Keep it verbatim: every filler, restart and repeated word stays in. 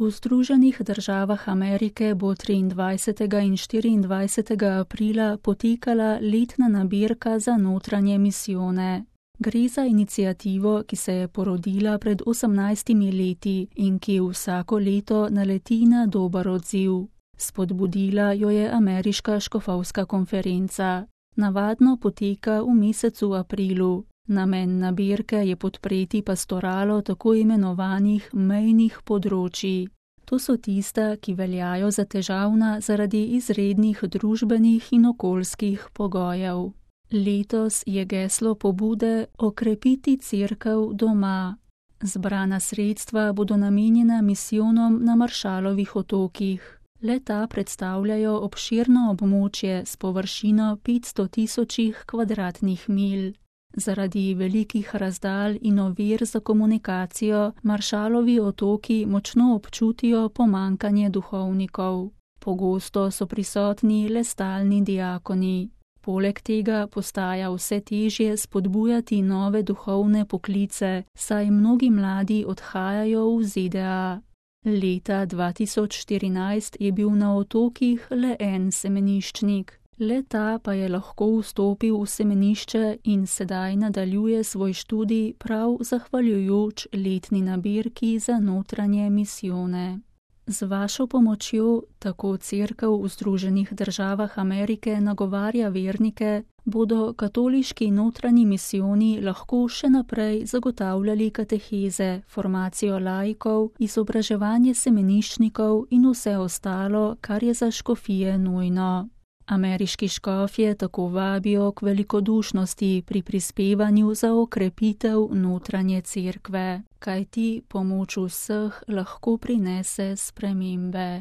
V Združenih državah Amerike bo triindvajsetega in štiriindvajsetega aprila potekala letna nabirka za notranje misijone. Gre za iniciativo, ki se je porodila pred osemnajstimi leti in ki vsako leto naleti na dober odziv. Spodbudila jo je Ameriška škofovska konferenca. Navadno poteka v mesecu aprilu. Namen nabirke je podpreti pastoralo tako imenovanih mejnih področij. To so tista, ki veljajo za težavna zaradi izrednih družbenih in okoljskih pogojev. Letos je geslo pobude Okrepiti cerkev doma. Zbrana sredstva bodo namenjena misijonom na Maršalovih otokih. Le-ta predstavljajo obširno območje s površino petsto tisočih kvadratnih milj. Zaradi velikih razdalj in ovir za komunikacijo Maršalovi otoki močno občutijo pomanjkanje duhovnikov. Pogosto so prisotni le stalni diakoni. Poleg tega postaja vse težje spodbujati nove duhovne poklice, saj mnogi mladi odhajajo v Z D A. Leta dva tisoč štirinajst je bil na otokih le en semeniščnik. Le-ta pa je lahko vstopil v semenišče in sedaj nadaljuje svoj študij prav zahvaljujoč letni nabirki za notranje misijone. Z vašo pomočjo, tako Cerkev v Združenih državah Amerike nagovarja vernike, bodo katoliški notranji misijoni lahko še naprej zagotavljali kateheze, formacijo laikov, izobraževanje semeniščnikov in vse ostalo, kar je za škofije nujno. Ameriški škofje tako vabijo k velikodušnosti pri prispevanju za okrepitev notranje cerkve, kajti pomoč vseh lahko prinese spremembe.